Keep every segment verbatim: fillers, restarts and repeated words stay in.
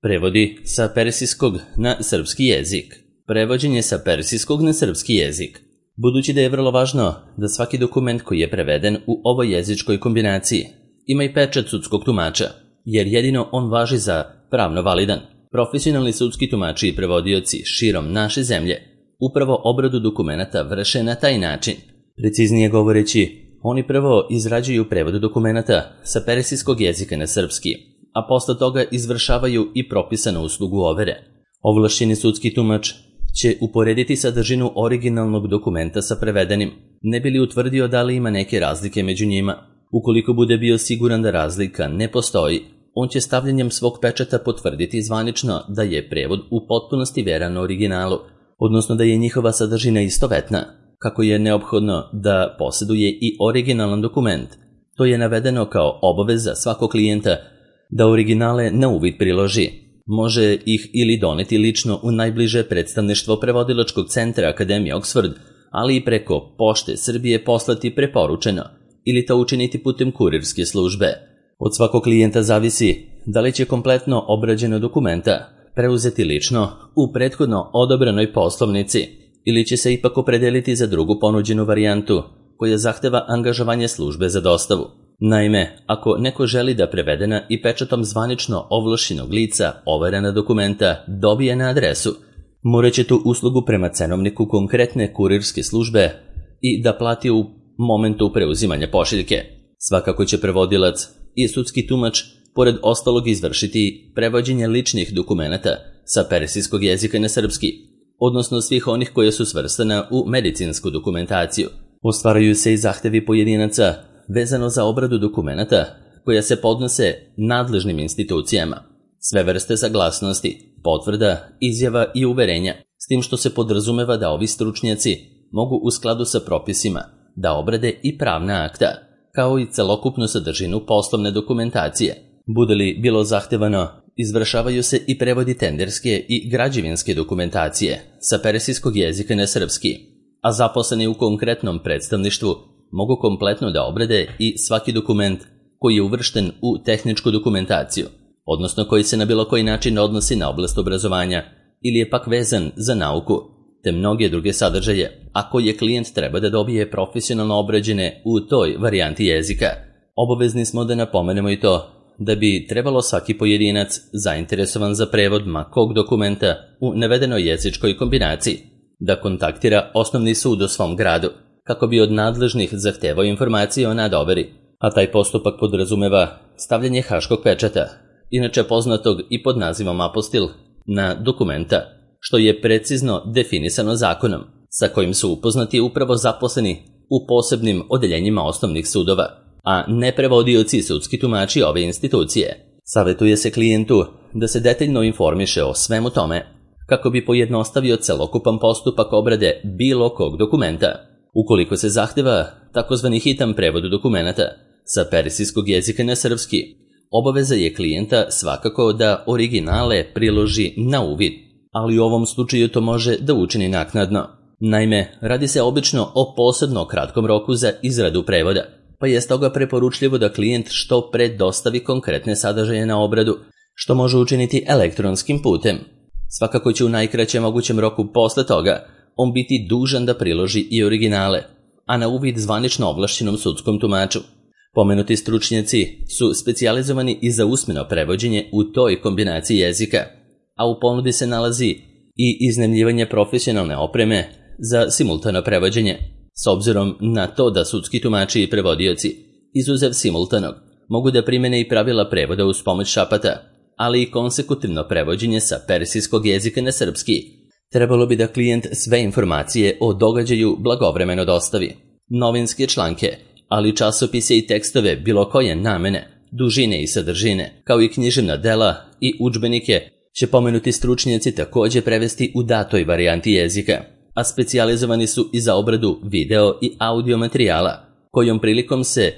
Prevodi sa persijskog na srpski jezik. Prevođenje sa persijskog na srpski jezik. Budući da je vrlo važno da svaki dokument koji je preveden u ovoj jezičkoj kombinaciji ima i pečat sudskog tumača, jer jedino on važi za pravno validan. Profesionalni sudski tumači i prevodioci širom naše zemlje upravo obradu dokumenata vrše na taj način. Preciznije govoreći, oni prvo izrađuju prevod dokumenata sa persijskog jezika na srpski, a posle toga izvršavaju i propisanu uslugu overe. Ovlašćeni sudski tumač će uporediti sadržinu originalnog dokumenta sa prevedenim, ne bi li utvrdio da li ima neke razlike među njima. Ukoliko bude bio siguran da razlika ne postoji, on će stavljanjem svog pečata potvrditi zvanično da je prevod u potpunosti veran originalu, odnosno da je njihova sadržina istovetna. Kako je neophodno da posjeduje i originalan dokument, to je navedeno kao obaveza svakog klijenta da originale na uvid priloži. Može ih ili doneti lično u najbliže predstavništvo prevodilačkog centra Akademije Oxford, ali i preko Pošte Srbije poslati preporučeno ili to učiniti putem kurirske službe. Od svakog klijenta zavisi da li će kompletno obrađeno dokumenta preuzeti lično u prethodno odobrenoj poslovnici ili će se ipak opredeliti za drugu ponuđenu varijantu koja zahteva angažovanje službe za dostavu. Naime, ako neko želi da prevedena i pečatom zvanično ovlašćenog lica overena dokumenta dobije na adresu, morat će tu uslugu prema cenovniku konkretne kurirske službe i da plati u momentu preuzimanja pošiljke. Svakako će prevodilac i sudski tumač pored ostalog izvršiti prevođenje ličnih dokumenata sa persijskog jezika na srpski, odnosno svih onih koje su svrstana u medicinsku dokumentaciju. Ostvaraju se i zahtevi pojedinaca vezano za obradu dokumenata koja se podnose nadležnim institucijama. Sve vrste saglasnosti, potvrda, izjava i uverenja, s tim što se podrazumeva da ovi stručnjaci mogu u skladu sa propisima da obrade i pravna akta, kao i celokupnu sadržinu poslovne dokumentacije. Bude li bilo zahtevano, izvršavaju se i prevodi tenderske i građevinske dokumentacije sa persijskog jezika na srpski, a zaposleni u konkretnom predstavništvu mogu kompletno da obrade i svaki dokument koji je uvršten u tehničku dokumentaciju, odnosno koji se na bilo koji način odnosi na oblast obrazovanja ili je pak vezan za nauku, te mnoge druge sadržaje, a koje klijent treba da dobije profesionalno obrađene u toj varijanti jezika. Obavezni smo da napomenemo i to da bi trebalo svaki pojedinac zainteresovan za prevod ma kog dokumenta u navedenoj jezičkoj kombinaciji da kontaktira osnovni sud u svom gradu, kako bi od nadležnih zahtevao informacije o nadoveri, a taj postupak podrazumeva stavljanje haškog pečata, inače poznatog i pod nazivom apostil, na dokumenta, što je precizno definisano zakonom, sa kojim su upoznati upravo zaposleni u posebnim odeljenjima osnovnih sudova, a ne prevodioci i sudski tumači ove institucije. Savetuje se klijentu da se detaljno informiše o svemu tome, kako bi pojednostavio celokupan postupak obrade bilo kog dokumenta. Ukoliko se zahteva takozvani hitan prevod dokumenta sa persijskog jezika na srpski, obaveza je klijenta svakako da originale priloži na uvid, ali u ovom slučaju to može da učini naknadno. Naime, radi se obično o posebno kratkom roku za izradu prevoda, pa je stoga preporučljivo da klijent što pre dostavi konkretne sadržaje na obradu, što može učiniti elektronskim putem. Svakako će u najkraćem mogućem roku posle toga on biti dužan da priloži i originale, a na uvid zvanično ovlašćenom sudskom tumaču. Pomenuti stručnjaci su specijalizovani i za usmeno prevođenje u toj kombinaciji jezika, a u ponudi se nalazi i iznajmljivanje profesionalne opreme za simultano prevođenje, s obzirom na to da sudski tumači i prevodioci, izuzev simultanog, mogu da primene i pravila prevoda uz pomoć šapata, ali i konsekutivno prevođenje sa persijskog jezika na srpski. Trebalo bi da klijent sve informacije o događaju blagovremeno dostavi. Novinske članke, ali časopise i tekstove bilo koje namene, dužine i sadržine, kao i književna dela i udžbenike će pomenuti stručnjaci također prevesti u datoj varijanti jezika, a specijalizovani su i za obradu video i audio materijala, kojom prilikom se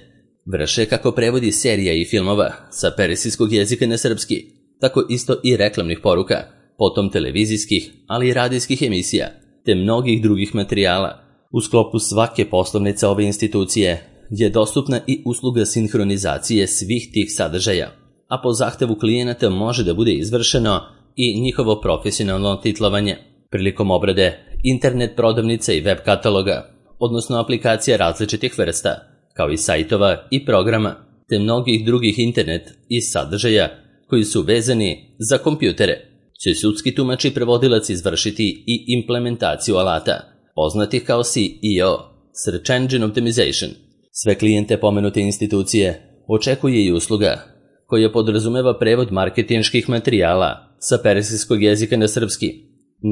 vrše kako prevodi serija i filmova sa persijskog jezika na srpski, tako isto i reklamnih poruka, potom televizijskih, ali i radijskih emisija, te mnogih drugih materijala. U sklopu svake poslovnice ove institucije je dostupna i usluga sinhronizacije svih tih sadržaja. a po zahtevu klijenata može da bude izvršeno i njihovo profesionalno titlovanje. Prilikom obrade internet prodavnica i web kataloga, odnosno aplikacija različitih vrsta, kao i sajtova i programa, te mnogih drugih internet i sadržaja koji su vezani za kompjutere, će sudski tumač i prevodilac izvršiti i implementaciju alata, poznatih kao S E O, Search Engine Optimization. Sve klijente pomenute institucije očekuje i usluga koja podrazumeva prevod marketinških materijala sa persijskog jezika na srpski.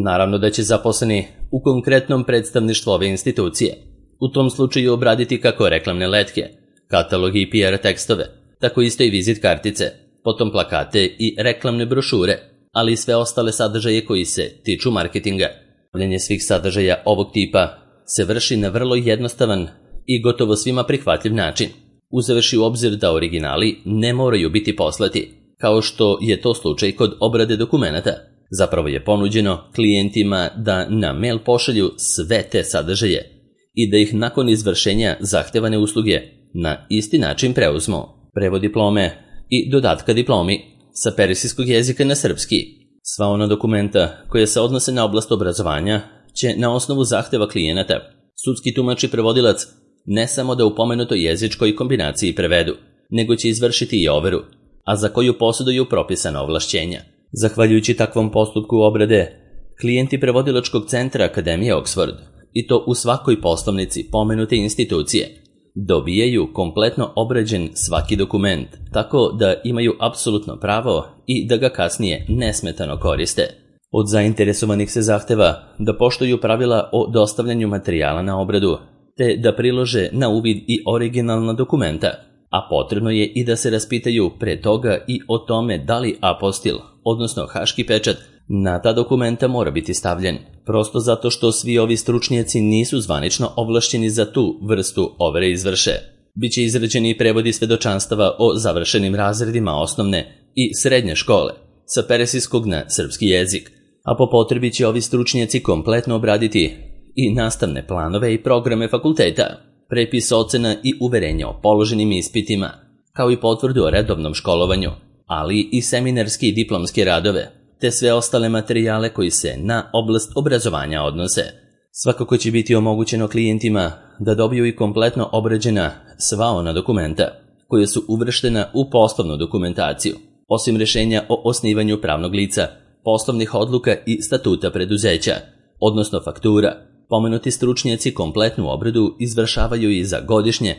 Naravno da će zaposleni u konkretnom predstavništvu ove institucije u tom slučaju obraditi kako reklamne letke, katalogi i P R tekstove, tako isto i vizit kartice, potom plakate i reklamne brošure, ali i sve ostale sadržaje koji se tiču marketinga. Obavljanje svih sadržaja ovog tipa se vrši na vrlo jednostavan i gotovo svima prihvatljiv način, uzevši u obzir da originali ne moraju biti poslati, kao što je to slučaj kod obrade dokumenata. Zapravo je ponuđeno klijentima da na mail pošalju sve te sadržaje i da ih nakon izvršenja zahtevane usluge na isti način preuzmu. Prevod diplome i dodatka diplomi sa persijskog jezika na srpski. Sva ona dokumenta koja se odnose na oblast obrazovanja će na osnovu zahteva klijenata sudski tumač i prevodilac ne samo da u pomenutoj jezičkoj kombinaciji prevedu, nego će izvršiti i overu, a za koju posjeduju propisana ovlašćenja. Zahvaljujući takvom postupku obrade, klijenti prevodilačkog centra Akademije Oxford, i to u svakoj poslovnici pomenute institucije, dobijaju kompletno obrađen svaki dokument, tako da imaju apsolutno pravo i da ga kasnije nesmetano koriste. Od zainteresovanih se zahteva da poštuju pravila o dostavljanju materijala na obradu, te da prilože na uvid i originalna dokumenta, a potrebno je i da se raspitaju pre toga i o tome da li apostil, odnosno haški pečat, na ta dokumenta mora biti stavljen, prosto zato što svi ovi stručnjaci nisu zvanično ovlašćeni za tu vrstu overe izvrše. Biće izrađeni i prevodi svedočanstava o završenim razredima osnovne i srednje škole sa persijskog na srpski jezik, a po potrebi će ovi stručnjaci kompletno obraditi i nastavne planove i programe fakulteta, prepis ocena i uverenja o položenim ispitima, kao i potvrdu o redovnom školovanju, ali i seminarski i diplomske radove, te sve ostale materijale koji se na oblast obrazovanja odnose. Svakako će biti omogućeno klijentima da dobiju i kompletno obrađena sva ona dokumenta koja su uvrštena u poslovnu dokumentaciju, osim rješenja o osnivanju pravnog lica, poslovnih odluka i statuta preduzeća, odnosno faktura. Pomenuti stručnjaci kompletnu obradu izvršavaju i za godišnje,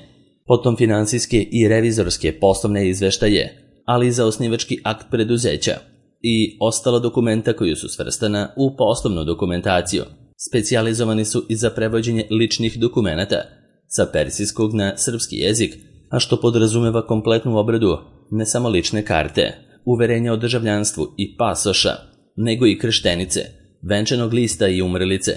potom finansijske i revizorske poslovne izveštaje, ali i za osnivački akt preduzeća i ostala dokumenta koju su svrstana u poslovnu dokumentaciju. Specijalizovani su i za prevođenje ličnih dokumenata sa persijskog na srpski jezik, a što podrazumeva kompletnu obradu ne samo lične karte, uverenja o državljanstvu i pasoša, nego i krštenice, venčanog lista i umrlice,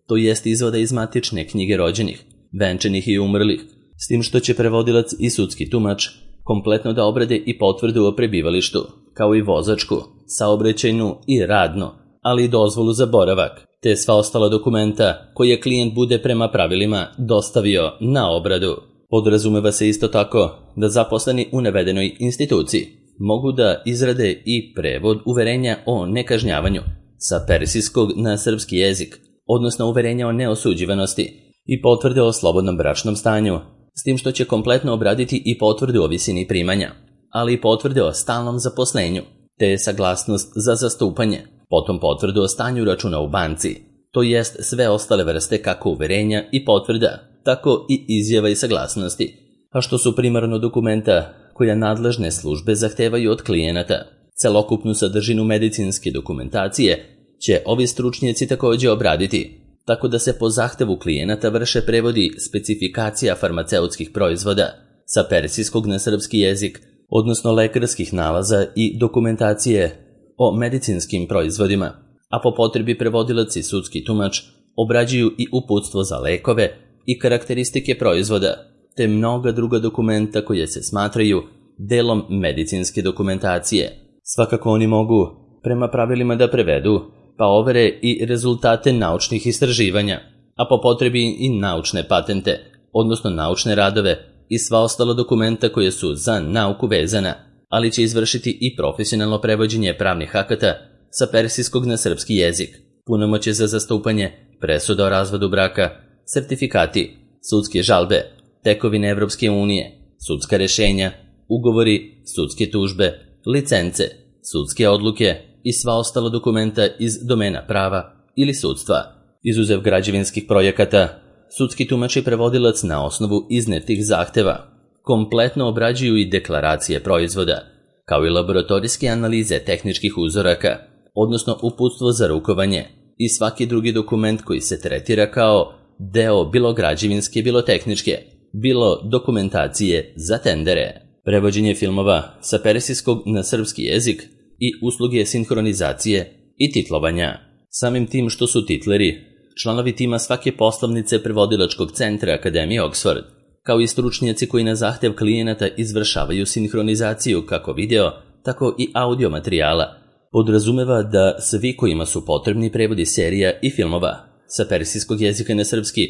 to jest izvoda iz matične knjige rođenih, venčanih i umrlih, s tim što će prevodilac i sudski tumač kompletno da obrade i potvrdu o prebivalištu, kao i vozačku, saobraćajnu i radnu, ali i dozvolu za boravak, te sva ostala dokumenta koje klijent bude prema pravilima dostavio na obradu. Podrazumeva se isto tako da zaposleni u navedenoj instituciji mogu da izrade i prevod uverenja o nekažnjavanju sa persijskog na srpski jezik, odnosno uverenja o neosuđivanosti i potvrde o slobodnom bračnom stanju, s tim što će kompletno obraditi i potvrde o visini primanja, ali i potvrde o stalnom zaposlenju, te saglasnost za zastupanje, potom potvrdu o stanju računa u banci, to jest sve ostale vrste kako uverenja i potvrda, tako i izjava i saglasnosti, a što su primarno dokumenta koja nadležne službe zahtevaju od klijenata. Celokupnu sadržinu medicinske dokumentacije će ovi stručnjaci također obraditi, tako da se po zahtevu klijenata vrše prevodi specifikacija farmaceutskih proizvoda sa persijskog na srpski jezik, odnosno lekarskih nalaza i dokumentacije o medicinskim proizvodima, a po potrebi prevodilac i sudski tumač obrađuju i uputstvo za lekove i karakteristike proizvoda, te mnoga druga dokumenta koje se smatraju delom medicinske dokumentacije. Svakako oni mogu prema pravilima da prevedu, pa overe i rezultate naučnih istraživanja, a po potrebi i naučne patente, odnosno naučne radove i sva ostala dokumenta koje su za nauku vezana, ali će izvršiti i profesionalno prevođenje pravnih akata sa persijskog na srpski jezik, punomoćje za zastupanje, presuda o razvodu braka, sertifikati, sudske žalbe, tekovine Evropske unije, sudska rešenja, ugovori, sudske tužbe, licence, sudske odluke i sva ostala dokumenta iz domena prava ili sudstva. Izuzev građevinskih projekata, sudski tumač i prevodilac na osnovu iznetih zahteva kompletno obrađuju i deklaracije proizvoda, kao i laboratorijske analize tehničkih uzoraka, odnosno uputstvo za rukovanje i svaki drugi dokument koji se tretira kao deo bilo građevinske, bilo tehničke, bilo dokumentacije za tendere. Prevođenje filmova sa persijskog na srpski jezik i usluge sinhronizacije i titlovanja. Samim tim što su titleri članovi tima svake poslovnice prevodilačkog centra Akademije Oxford, kao i stručnjaci koji na zahtev klijenata izvršavaju sinhronizaciju kako video, tako i audio materijala, podrazumeva da svi kojima su potrebni prevodi serija i filmova sa persijskog jezika na srpski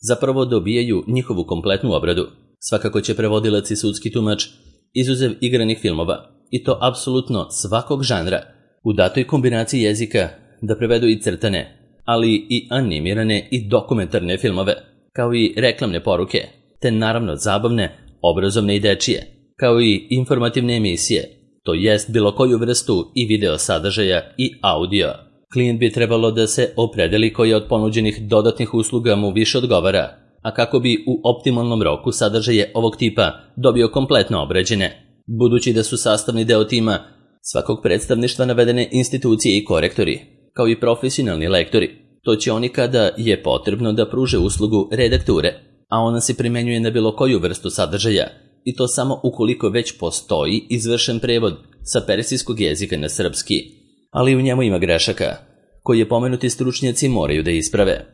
zapravo dobijaju njihovu kompletnu obradu. Svakako će prevodilac i sudski tumač, izuzev igranih filmova, i to apsolutno svakog žanra, u datoj kombinaciji jezika da prevedu i crtane, ali i animirane i dokumentarne filmove, kao i reklamne poruke, te naravno zabavne, obrazovne i dečije, kao i informativne emisije, to jest bilo koju vrstu i video sadržaja i audio. Klijent bi trebalo da se opredeli koja od ponuđenih dodatnih usluga mu više odgovara, a kako bi u optimalnom roku sadržaje ovog tipa dobio kompletno obrađene. Budući da su sastavni deo tima svakog predstavništva navedene institucije i korektori, kao i profesionalni lektori, to će oni kada je potrebno da pruže uslugu redakture, a ona se primenjuje na bilo koju vrstu sadržaja, i to samo ukoliko već postoji izvršen prevod sa persijskog jezika na srpski, ali u njemu ima grešaka, koje pomenuti stručnjaci moraju da isprave.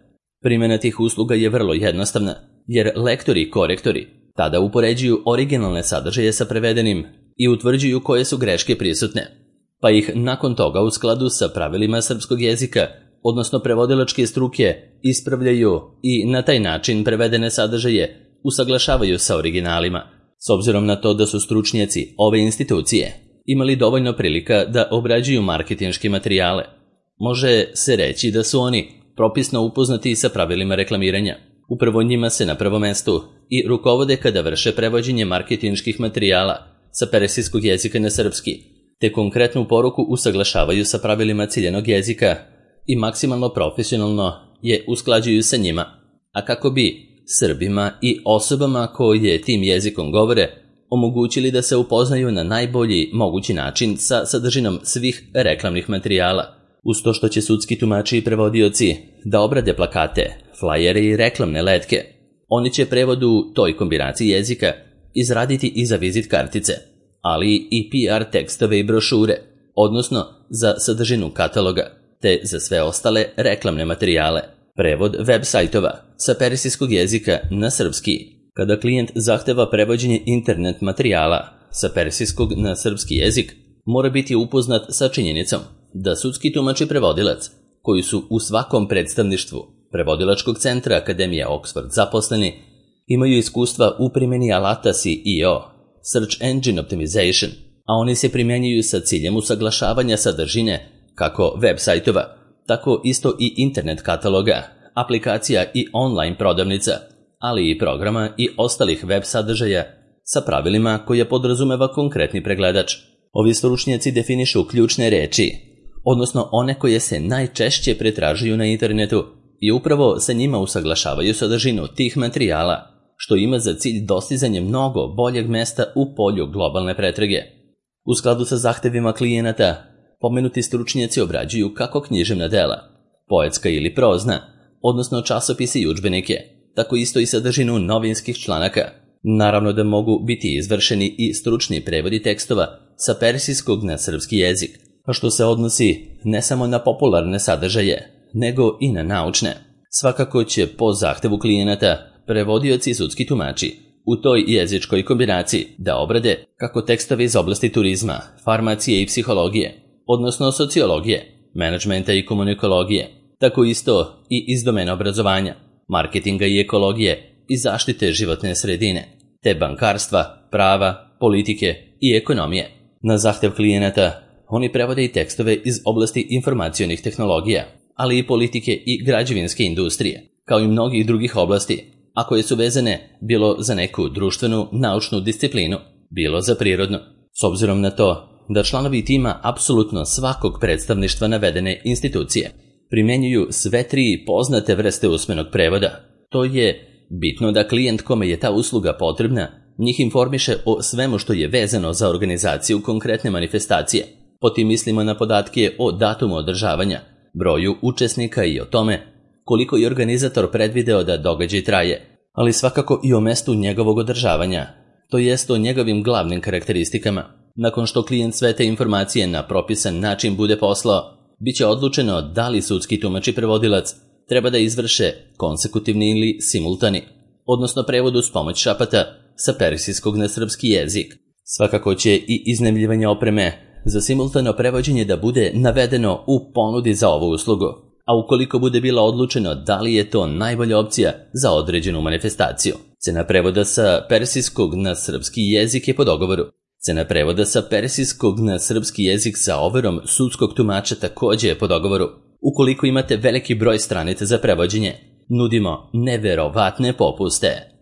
Primjena tih usluga je vrlo jednostavna, jer lektori i korektori tada upoređuju originalne sadržaje sa prevedenim i utvrđuju koje su greške prisutne, pa ih nakon toga u skladu sa pravilima srpskog jezika, odnosno prevodilačke struke, ispravljaju i na taj način prevedene sadržaje usaglašavaju sa originalima, s obzirom na to da su stručnjaci ove institucije imali dovoljno prilika da obrađuju marketinške materijale. Može se reći da su oni propisno upoznati sa pravilima reklamiranja. Upravo njima se na prvom mestu i rukovode kada vrše prevođenje marketinških materijala sa persijskog jezika na srpski, te konkretnu poruku usaglašavaju sa pravilima ciljanog jezika i maksimalno profesionalno je usklađuju sa njima, a kako bi Srbima i osobama koje tim jezikom govore omogućili da se upoznaju na najbolji mogući način sa sadržinom svih reklamnih materijala, uz to što će sudski tumači i prevodioci da obrade plakate, flajere i reklamne letke. Oni će prevodu toj kombinaciji jezika izraditi i za vizit kartice, ali i P R tekstove i brošure, odnosno za sadržinu kataloga, te za sve ostale reklamne materijale. Prevod web sajtova sa persijskog jezika na srpski. Kada klijent zahteva prevođenje internet materijala sa persijskog na srpski jezik, mora biti upoznat sa činjenicom da sudski tumač i prevodilac, koji su u svakom predstavništvu prevodilačkog centra Akademije Oxford zaposleni, imaju iskustva u primjeni alata S E O, Search Engine Optimization, a oni se primjenjuju sa ciljem usaglašavanja sadržine kako web sajtova, tako isto i internet kataloga, aplikacija i online prodavnica, ali i programa i ostalih web sadržaja sa pravilima koje podrazumeva konkretni pregledač. Ovi stručnjaci definišu ključne reči, odnosno one koje se najčešće pretražuju na internetu i upravo sa njima usaglašavaju sadržinu tih materijala, što ima za cilj dostizanje mnogo boljeg mesta u polju globalne pretrage. U skladu sa zahtevima klijenata, pomenuti stručnjaci obrađuju kako književna dela, poetska ili prozna, odnosno časopise i udžbenike, tako isto i sadržinu novinskih članaka. Naravno da mogu biti izvršeni i stručni prevodi tekstova sa persijskog na srpski jezik, a što se odnosi ne samo na popularne sadržaje, nego i na naučne. Svakako će po zahtevu klijenata prevodioci i sudski tumači u toj jezičkoj kombinaciji da obrade kako tekstove iz oblasti turizma, farmacije i psihologije, odnosno sociologije, menadžmenta i komunikologije, tako isto i iz domena obrazovanja, marketinga i ekologije i zaštite životne sredine, te bankarstva, prava, politike i ekonomije. Na zahtev klijenata, oni prevode i tekstove iz oblasti informacionih tehnologija, ali i politike i građevinske industrije, kao i mnogih drugih oblasti, a koje su vezane bilo za neku društvenu, naučnu disciplinu, bilo za prirodnu. S obzirom na to da članovi tima apsolutno svakog predstavništva navedene institucije primjenjuju sve tri poznate vrste usmenog prevoda, to je bitno da klijent kome je ta usluga potrebna njih informiše o svemu što je vezano za organizaciju konkretne manifestacije. Potim mislimo na podatke o datumu održavanja, broju učesnika i o tome koliko je organizator predvideo da događaj traje, ali svakako i o mestu njegovog održavanja, to jest o njegovim glavnim karakteristikama. Nakon što klijent sve te informacije na propisan način bude poslao, bit će odlučeno da li sudski tumač i prevodilac treba da izvrše konsekutivni ili simultani, odnosno prevod uz pomoć šapata sa persijskog na srpski jezik. Svakako će i iznajmljivanje opreme za simultano prevođenje da bude navedeno u ponudi za ovu uslugu, a ukoliko bude bilo odlučeno da li je to najbolja opcija za određenu manifestaciju. Cena prevoda sa persijskog na srpski jezik je po dogovoru. Cena prevoda sa persijskog na srpski jezik sa overom sudskog tumača također je po dogovoru. Ukoliko imate veliki broj stranica za prevođenje, nudimo neverovatne popuste.